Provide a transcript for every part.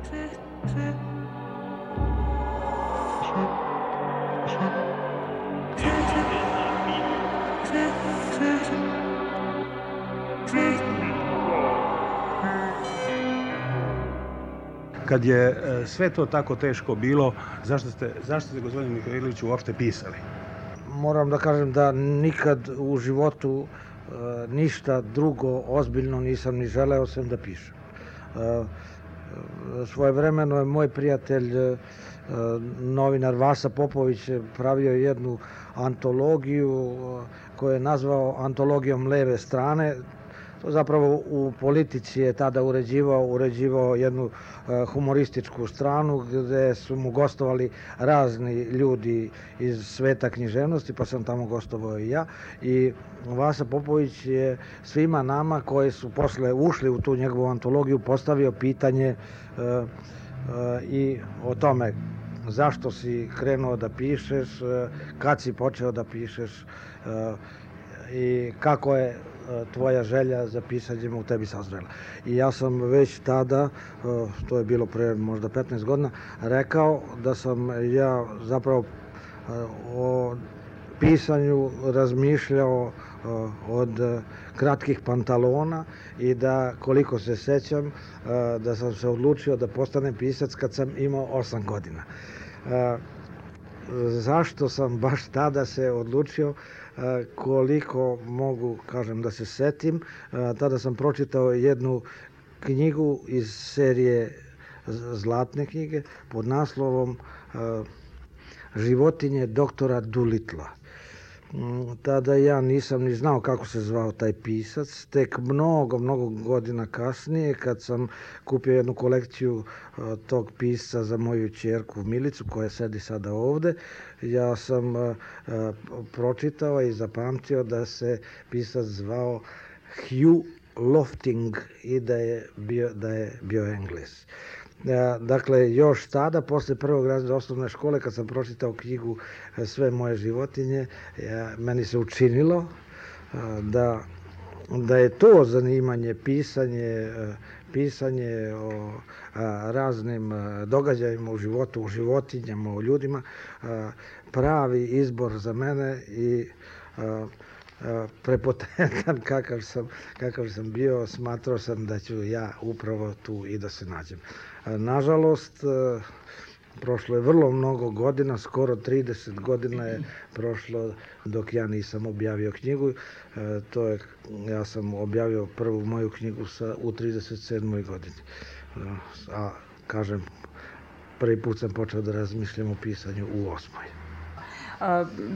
Kad je sve to tako teško bilo, zašto ste gospodine Mihajloviću uopšte pisali? Moram da kažem da nikad u životu ništa drugo ozbiljno nisam ni želeo sem da pišem. Svojevremeno je moj prijatelj, novinar Vasa Popović, pravio jednu antologiju koju je nazvao antologijom leve strane. To zapravo u politici je tada uređivao jednu humorističku stranu gde su mu gostovali razni ljudi iz sveta književnosti, pa sam tamo gostovao i ja. I Vasa Popović je svima nama koji su posle ušli u tu njegovu antologiju postavio pitanje i o tome zašto si krenuo da pišeš, kad si počeo da pišeš i kako je tvoja želja za pisanjem u tebi sazrela. I ja sam već tada, to je bilo pre možda 15 godina, rekao da sam ja zapravo o pisanju razmišljao od kratkih pantalona i da, koliko se sećam, da sam se odlučio da postanem pisac kad sam imao 8 godina. Zašto sam baš tada se odlučio, koliko mogu, kažem, da se setim. Tada sam pročitao jednu knjigu iz serije Zlatne knjige pod naslovom Životinje doktora Dulitla. Tada ja nisam ni znao kako se zvao taj pisac. Tek mnogo godina kasnije, kad sam kupio jednu kolekciju tog pisca za moju ćerku Milicu, koja sedi sada ovde, ja sam pročitao i zapamtio da se pisac zvao Hugh Lofting i da je bio Engles. Dakle, još tada, posle prvog razreda osnovne škole, kad sam pročitao knjigu Sve moje životinje, meni se učinilo da je to zanimanje, pisanje o raznim događajima u životu, u životinjama, u ljudima, pravi izbor za mene i prepotentan kakav sam bio, smatrao sam da ću ja upravo tu i da se nađem. Nažalost, prošlo je vrlo mnogo godina, skoro 30 godina je prošlo dok ja nisam objavio knjigu. Ja sam objavio prvu moju knjigu u 37. godini. A, kažem, prvi put sam počeo da razmišljam o pisanju u 8.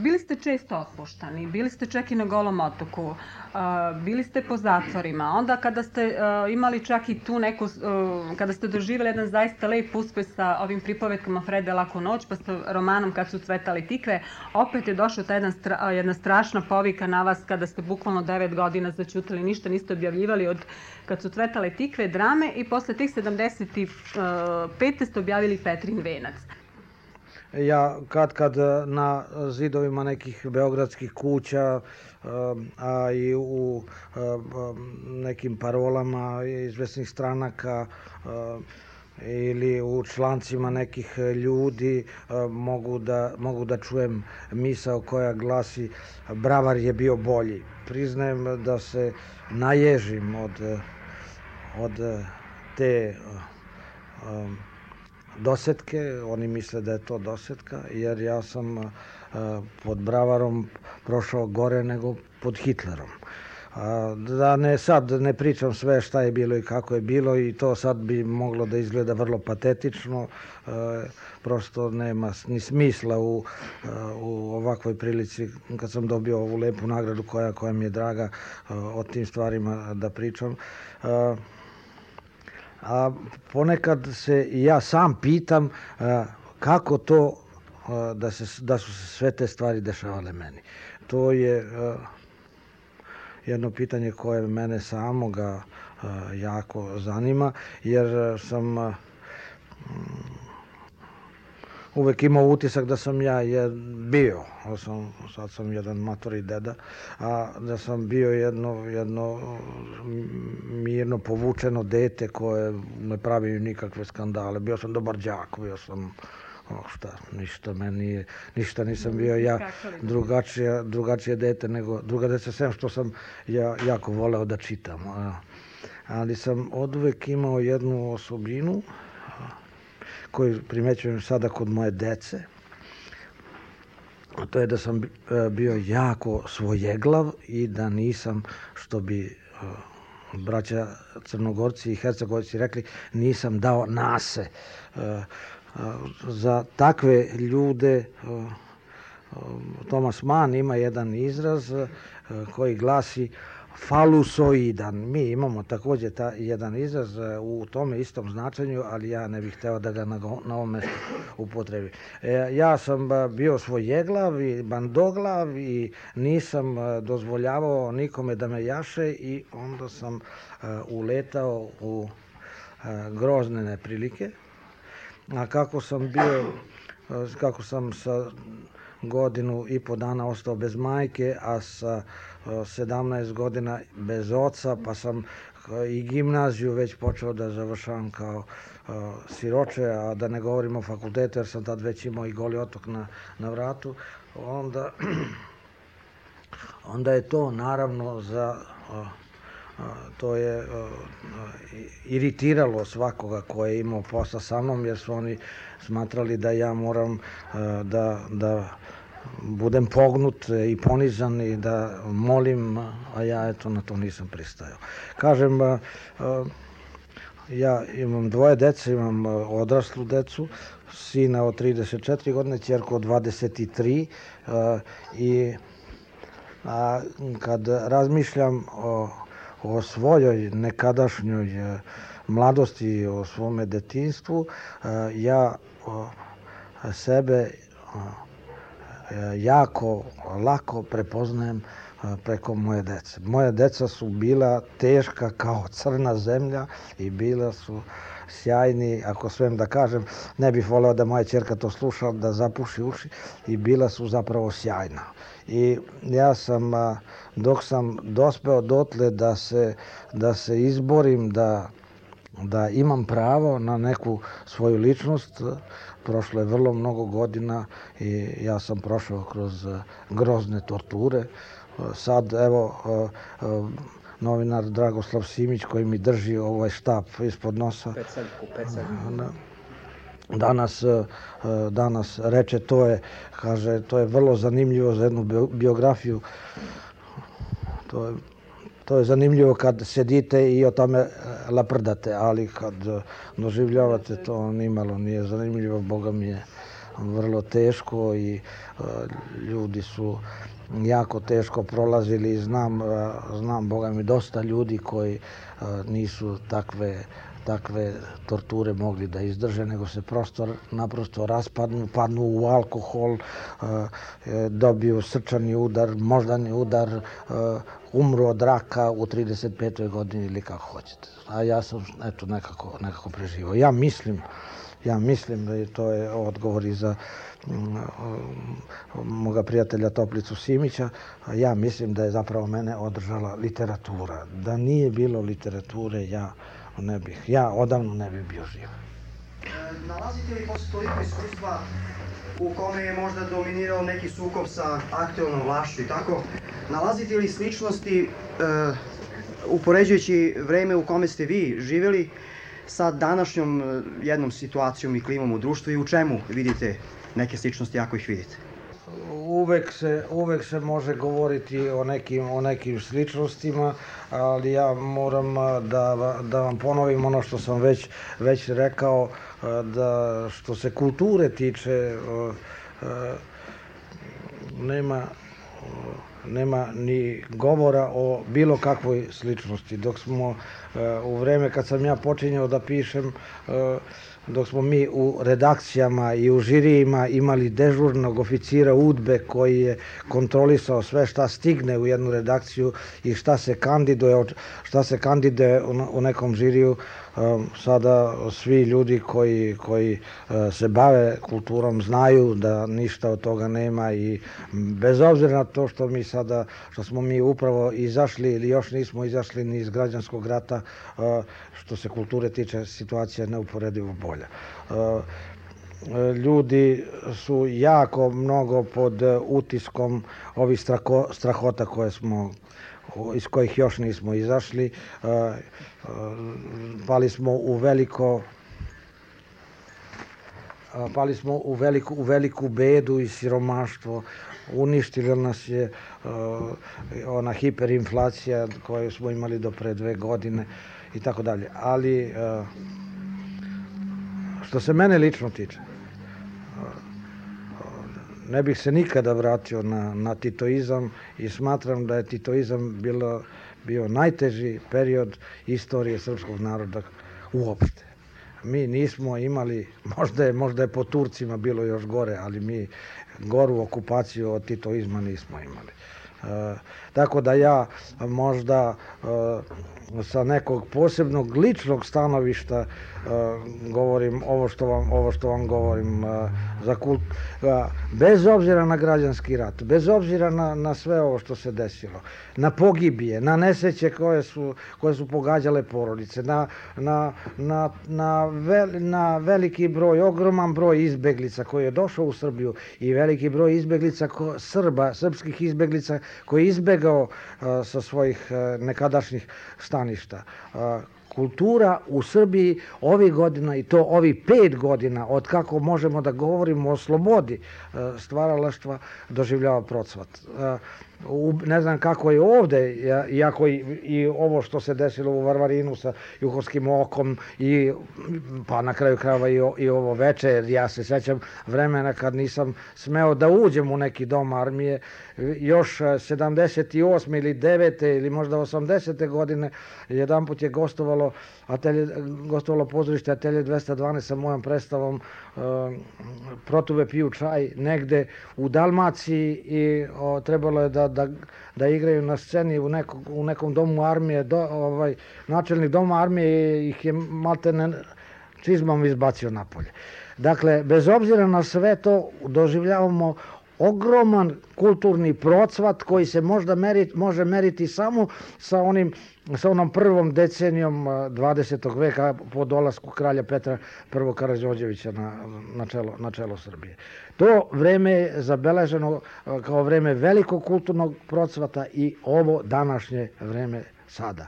Bili ste često otpuštani, bili ste čak i na Golom otoku, bili ste po zatvorima, onda kada ste imali čak i tu neku, kada ste doživjeli jedan zaista lep uspeh sa ovim pripovetkama Frede Laku noć, pa sa romanom Kad su cvetale tikve, opet je došla ta jedna strašna povika na vas kada ste bukvalno 9 godina zaćutali, ništa niste objavljivali od Kad su cvetale tikve, drame, i posle tih 75. ste objavili Petrin venac. Ja kad na zidovima nekih beogradskih kuća, a i u nekim parolama izvesnih stranaka ili u člancima nekih ljudi mogu da čujem misao koja glasi Bravar je bio bolji. Priznajem da se naježim od te dosetke, oni misle da je to dosetka, jer ja sam pod Bravarom prošao gore nego pod Hitlerom. Da sad ne pričam sve šta je bilo i kako je bilo, i to sad bi moglo da izgleda vrlo patetično, prosto nema ni smisla u ovakvoj prilici, kad sam dobio ovu lepu nagradu koja mi je draga, o tim stvarima da pričam. A ponekad se i ja sam pitam kako to da su se sve te stvari dešavale meni. To je jedno pitanje koje mene samoga jako zanima, jer sam uvek imao utisak da sam ja bio, sad sam jedan matori deda, a da sam bio jedno mirno povučeno dete koje ne pravi nikakve skandale. Bio sam dobar đak, bio sam ništa nisam bio ja drugačije dete nego druga deca, sem što sam ja jako voleo da čitam. Ali sam oduvek imao jednu osobinu koju primećujem sada kod moje dece, a to je da sam bio jako svojeglav i da nisam, što bi braća Crnogorci i Hercegovci rekli, nisam dao nase. Za takve ljude Thomas Mann ima jedan izraz koji glasi falusoidan. Mi imamo također jedan izraz u tome istom značenju, ali ja ne bih hteo da ga na ovom mestu upotrebim. Ja sam bio svojeglav i bandoglav i nisam dozvoljavao nikome da me jaše i onda sam uletao u grozne neprilike. A kako sam sa godinu i po dana ostao bez majke, a sa 17 godina bez oca, pa sam i gimnaziju već počeo da završavam kao siroče, a da ne govorim o fakultetu, jer sam tad već imao i Goli otok na vratu, onda je to naravno to je iritiralo svakoga ko je imao posla sa mnom, jer su oni smatrali da ja moram da budem pognut i ponizan i da molim, a ja eto na to nisam pristajao. Kažem, ja imam dvoje dece, imam odraslu decu, sina od 34 godine, ćerku od 23 i kad razmišljam o svojoj nekadašnjoj mladosti, o svome detinjstvu, ja sebe jako lako prepoznajem preko moje dece. Moje deca su bila teška kao crna zemlja i bila su sjajni, ako smem da kažem, ne bih voleo da moja ćerka to sluša, da zapuši uši, i bila su zapravo sjajna. I ja sam, dok sam dospeo dotle da se izborim, da imam pravo na neku svoju ličnost, prošlo je vrlo mnogo godina i ja sam prošao kroz grozne torture. Sad, evo, novinar Dragoslav Simić koji mi drži ovaj štap ispod nosa, danas reče, to je vrlo zanimljivo za jednu biografiju. To je zanimljivo kad sedite i o tome laprdate, ali kad doživljavate to nimalo nije zanimljivo, Boga mi je vrlo teško i ljudi su jako teško prolazili i znam, Boga mi, dosta ljudi koji nisu takve torture mogli da izdrže, nego se naprosto raspadnu, padnu u alkohol, dobiju srčani udar, moždani udar, umru od raka u 35. godini ili kako hoćete. A ja sam eto nekako preživao. Ja mislim da to je odgovor i za moga prijatelja Toplicu Simića, ja mislim da je zapravo mene održala literatura. Da nije bilo literature, ja odavno ne bih bio živ. Nalazite li posle toliko iskustva u kome je možda dominirao neki sukob sa aktuelnom vlašću i tako, nalazite li sličnosti upoređujući vreme u kome ste vi živjeli sa današnjom jednom situacijom i klimom u društvu i u čemu vidite neke sličnosti ako ih vidite? Uvek se može govoriti o nekim sličnostima, ali ja moram da vam ponovim ono što sam već rekao, da što se kulture tiče, nema ni govora o bilo kakvoj sličnosti. Dok smo u vreme kad sam ja počinjao da pišem, dok smo mi u redakcijama i u žirijima imali dežurnog oficira UDBE koji je kontrolisao sve šta stigne u jednu redakciju i šta se kandiduje u nekom žiriju, sada svi ljudi koji se bave kulturom znaju da ništa od toga nema i bez obzira na to što smo mi upravo izašli ili još nismo izašli ni iz građanskog rata, što se kulture tiče, situacija je neuporedivo bolja. Ljudi su jako mnogo pod utiskom ovih strahota iz kojih još nismo izašli. Pali smo u veliku bedu i siromaštvo. Uništila nas je ona hiperinflacija koju smo imali do pre 2 godine i tako dalje. Ali što se mene lično tiče, ne bih se nikada vratio na titoizam i smatram da je titoizam bio najteži period istorije srpskog naroda uopšte. Mi nismo imali, možda je po Turcima bilo još gore, ali mi goru okupaciju od titoizma nismo imali. Tako da ja možda sa nekog posebnog ličnog stanovišta govorim ovo što vam govorim, bez obzira na građanski rat, bez obzira na sve ovo što se desilo, na pogibije, na nesreće koje su pogađale porodice, na veliki broj, ogroman broj izbeglica koji je došao u Srbiju i veliki broj izbeglica srpskih izbeglica koji je izbegao sa svojih nekadašnjih staništa. Kultura u Srbiji ovih godina, i to ovih 5 godina, od kako možemo da govorimo o slobodi stvaralaštva, doživljava procvat. Ne znam kako je ovde, iako i ovo što se desilo u Varvarinu sa Juhovskim okom, pa na kraju krajeva i ovo veče, jer ja se sećam vremena kad nisam smeo da uđem u neki dom armije, još 78. ili 9. ili možda 80. godine, jedanput je gostovalo pozorište Atelje 212 sa mojom predstavom Protuve piju čaj negde u Dalmaciji i trebalo je da igraju na sceni u nekom domu armije. Načelnik doma armije ih je maltene čizmom izbacio napolje. Dakle, bez obzira na sve to, doživljavamo ogroman kulturni procvat koji se može meriti samo sa onom prvom decenijom 20. veka po dolasku kralja Petra I. Karađorđevića na čelo Srbije. To vreme je zabeleženo kao vreme velikog kulturnog procvata i ovo današnje vreme sada.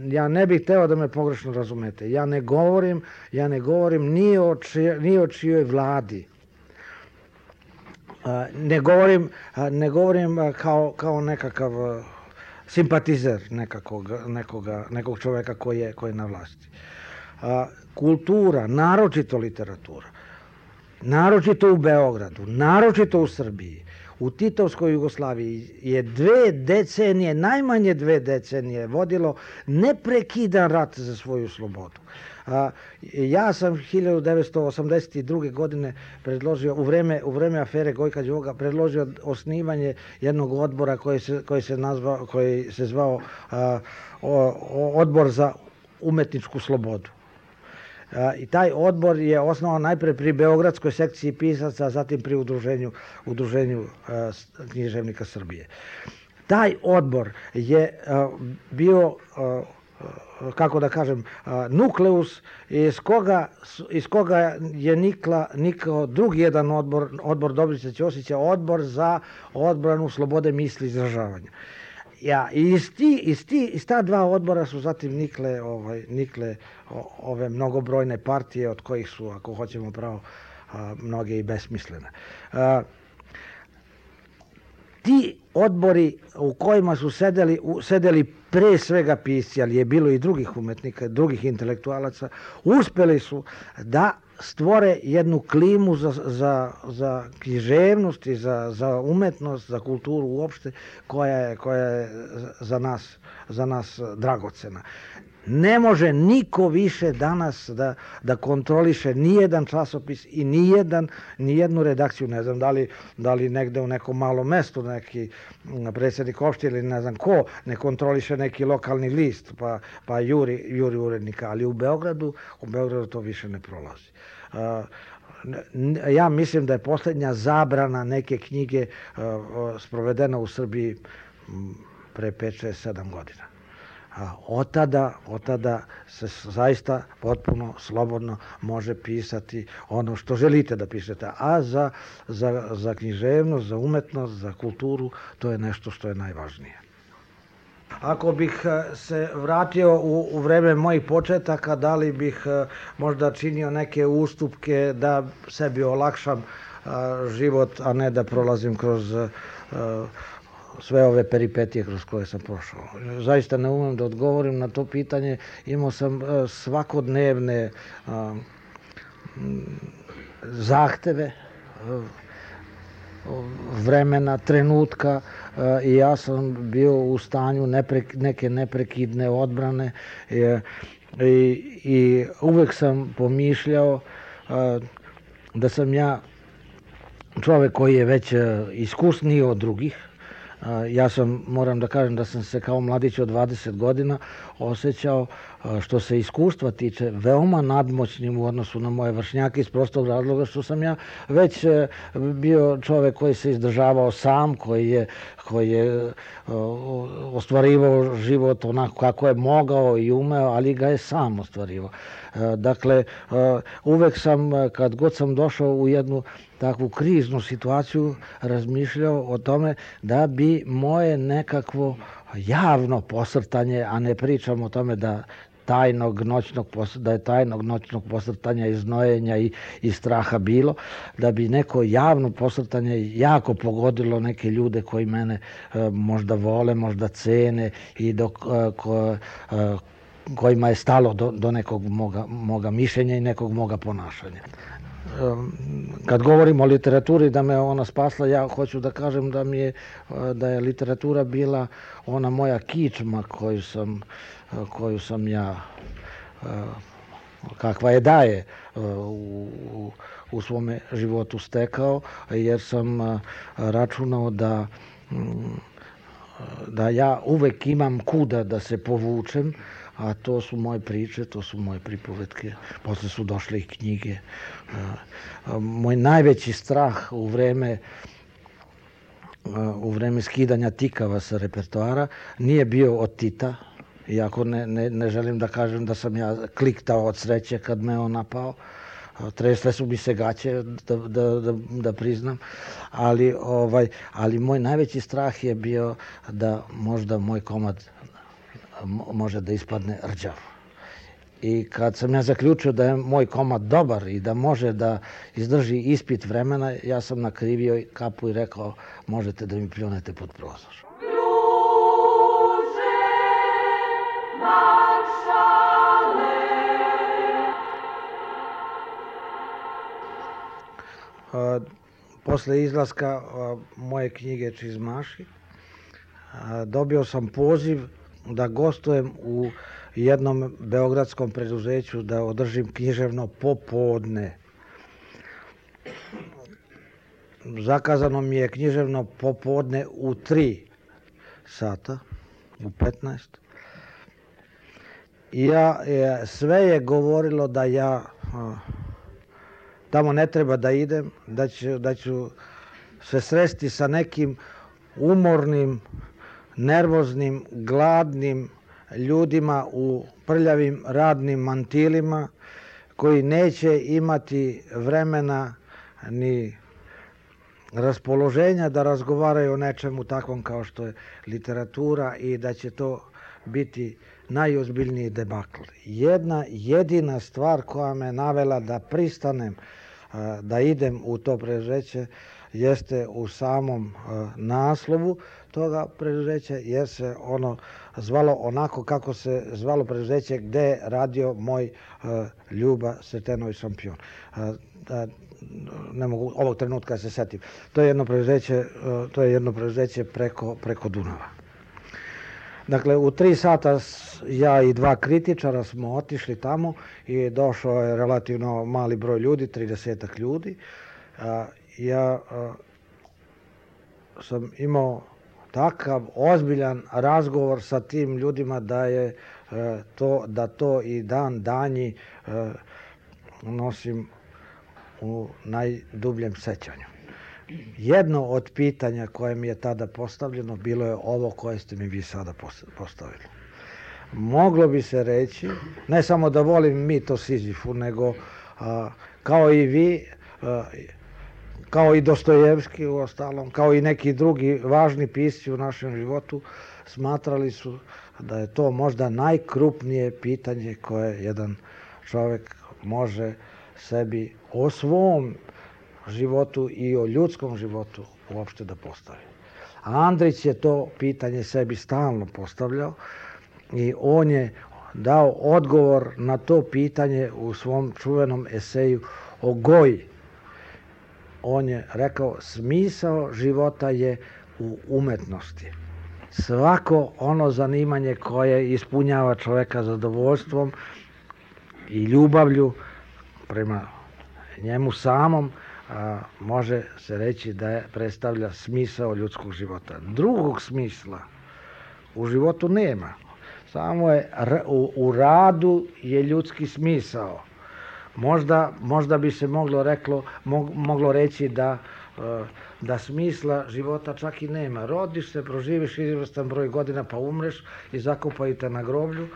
Ja ne bih hteo da me pogrešno razumete. Ja ne govorim ni o čijoj vladi. Ne govorim kao nekakav simpatizer nekog čoveka koji je na vlasti. Kultura, naročito literatura, naročito u Beogradu, naročito u Srbiji, u Titovskoj Jugoslaviji je 2 decenije, najmanje 2 decenije vodilo neprekidan rat za svoju slobodu. Ja sam 1982. godine predložio, u vreme afere Gojka Đoga, predložio osnivanje jednog odbora koji se zvao Odbor za umetničku slobodu. I taj odbor je osnovan najpre pri Beogradskoj sekciji pisaca, a zatim pri Udruženju književnika Srbije. Taj odbor je bio, kako da kažem, nukleus iz koga je nikao drugi jedan odbor Dobrice Ćosića, odbor za odbranu slobode misli i izražavanja. Iz ta 2 odbora su zatim nikle ove mnogobrojne partije, od kojih su, ako hoćemo pravo, mnoge i besmislene. ti odbori u kojima su sedeli pre svega pisci, ali je bilo i drugih umetnika, drugih intelektualaca, uspeli su da stvore jednu klimu za književnost i za umetnost, za kulturu uopšte, koja je za nas dragocena. Ne može niko više danas da kontroliše nijedan časopis i nijednu redakciju. Ne znam da li negde u nekom malom mestu neki predsjednik opštine ili ne znam ko ne kontroliše neki lokalni list pa juri urednika, ali u Beogradu to više ne prolazi. Ja mislim da je poslednja zabrana neke knjige sprovedena u Srbiji pre 5, 6, 7 godina. Od tada se zaista potpuno slobodno može pisati ono što želite da pišete, a za književnost, za umetnost, za kulturu, to je nešto što je najvažnije. Ako bih se vratio u vreme mojih početaka, da li bih možda činio neke ustupke da sebi olakšam život, a ne da prolazim kroz sve ove peripetije kroz koje sam prošao. Zaista ne umem da odgovorim na to pitanje. Imao sam svakodnevne zahteve, vremena, trenutka i ja sam bio u stanju neke neprekidne odbrane i uvek sam pomišljao da sam ja čovek koji je već iskusniji od drugih. Ja moram da kažem da sam se kao mladić od 20 godina osjećao, što se iskustva tiče, veoma nadmoćnim u odnosu na moje vršnjake iz prostog razloga što sam ja već bio čovek koji se izdržavao sam, koji je ostvarivao život onako kako je mogao i umeo, ali ga je sam ostvarivao. Dakle, uvek sam, kad god sam došao u jednu takvu kriznu situaciju, razmišljao o tome da bi moje nekakvo javno posrtanje, a ne pričam o tome da je tajnog noćnog posrtanja i znojenja i straha bilo, da bi neko javno posrtanje jako pogodilo neke ljude koji mene možda vole, možda cene i kojima je stalo do nekog moga mišljenja i nekog moga ponašanja. Kad govorim o literaturi, da me ona spasla, ja hoću da kažem da je literatura bila ona moja kičma koju sam ja, kakva je daje, u svome životu stekao, jer sam računao da ja uvek imam kuda da se povučem, a to su moje priče, to su moje pripovetke, posle su došle i knjige. Moj najveći strah u vreme skidanja tikava sa repertoara nije bio od Tita, iako ne želim da kažem da sam ja kliktao od sreće kad me on napao. Tresle su mi se gaće, da priznam, ali moj najveći strah je bio da možda moj komad može da ispadne rđav. I kad sam ja zaključio da je moj komad dobar i da može da izdrži ispit vremena, ja sam nakrivio kapu i rekao, možete da mi pljunete pod prozor. Posle izlaska moje knjige Čizmaši, dobio sam poziv da gostujem u jednom beogradskom preduzeću, da održim književno popodne. Zakazano mi je književno popodne u 3 sata, u 15. I sve je govorilo da ja tamo ne treba da idem, da ću se sresti sa nekim umornim, nervoznim, gladnim ljudima u prljavim radnim mantilima koji neće imati vremena ni raspoloženja da razgovaraju o nečemu takvom kao što je literatura i da će to biti najozbiljniji debakl. Jedna jedina stvar koja me navela da pristanem da idem u to preduzeće jeste u samom naslovu toga preduzeća, jer se ono zvalo onako kako se zvalo preduzeće gde je radio moj Ljuba Sretenović šampion. Ne mogu ovog trenutka se setim. To je jedno preduzeće preko Dunava. Dakle, u 3 sata ja i 2 kritičara smo otišli tamo i došao je relativno mali broj ljudi, 30 ljudi. Ja sam imao takav ozbiljan razgovor sa tim ljudima da to i dan danji nosim u najdubljem sećanju. Jedno od pitanja koje mi je tada postavljeno bilo je ovo koje ste mi vi sada postavili. Moglo bi se reći, ne samo da volim mito Sizifu, nego kao i vi, kao i Dostojevski u ostalom, kao i neki drugi važni pisci u našem životu, smatrali su da je to možda najkrupnije pitanje koje jedan čovjek može sebi o svom životu i o ljudskom životu uopšte da postavi. A Andrić je to pitanje sebi stalno postavljao i on je dao odgovor na to pitanje u svom čuvenom eseju o Goji. On je rekao, smisao života je u umetnosti. Svako ono zanimanje koje ispunjava čoveka zadovoljstvom i ljubavlju prema njemu samom, može se reći da predstavlja smisao ljudskog života. Drugog smisla u životu nema. Samo je u radu je ljudski smisao. Možda bi se moglo reći da smisla života čak i nema. Rodiš se, proživiš izvrstan broj godina pa umreš i zakopaju te na groblju.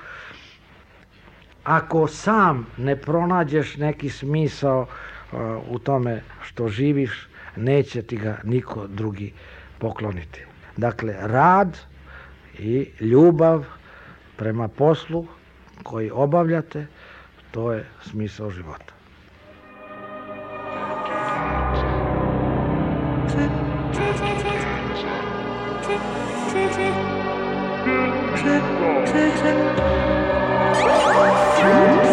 Ako sam ne pronađeš neki smisao u tome što živiš, neće ti ga niko drugi pokloniti. Dakle, rad i ljubav prema poslu koji obavljate, to je smisao života. Thank you.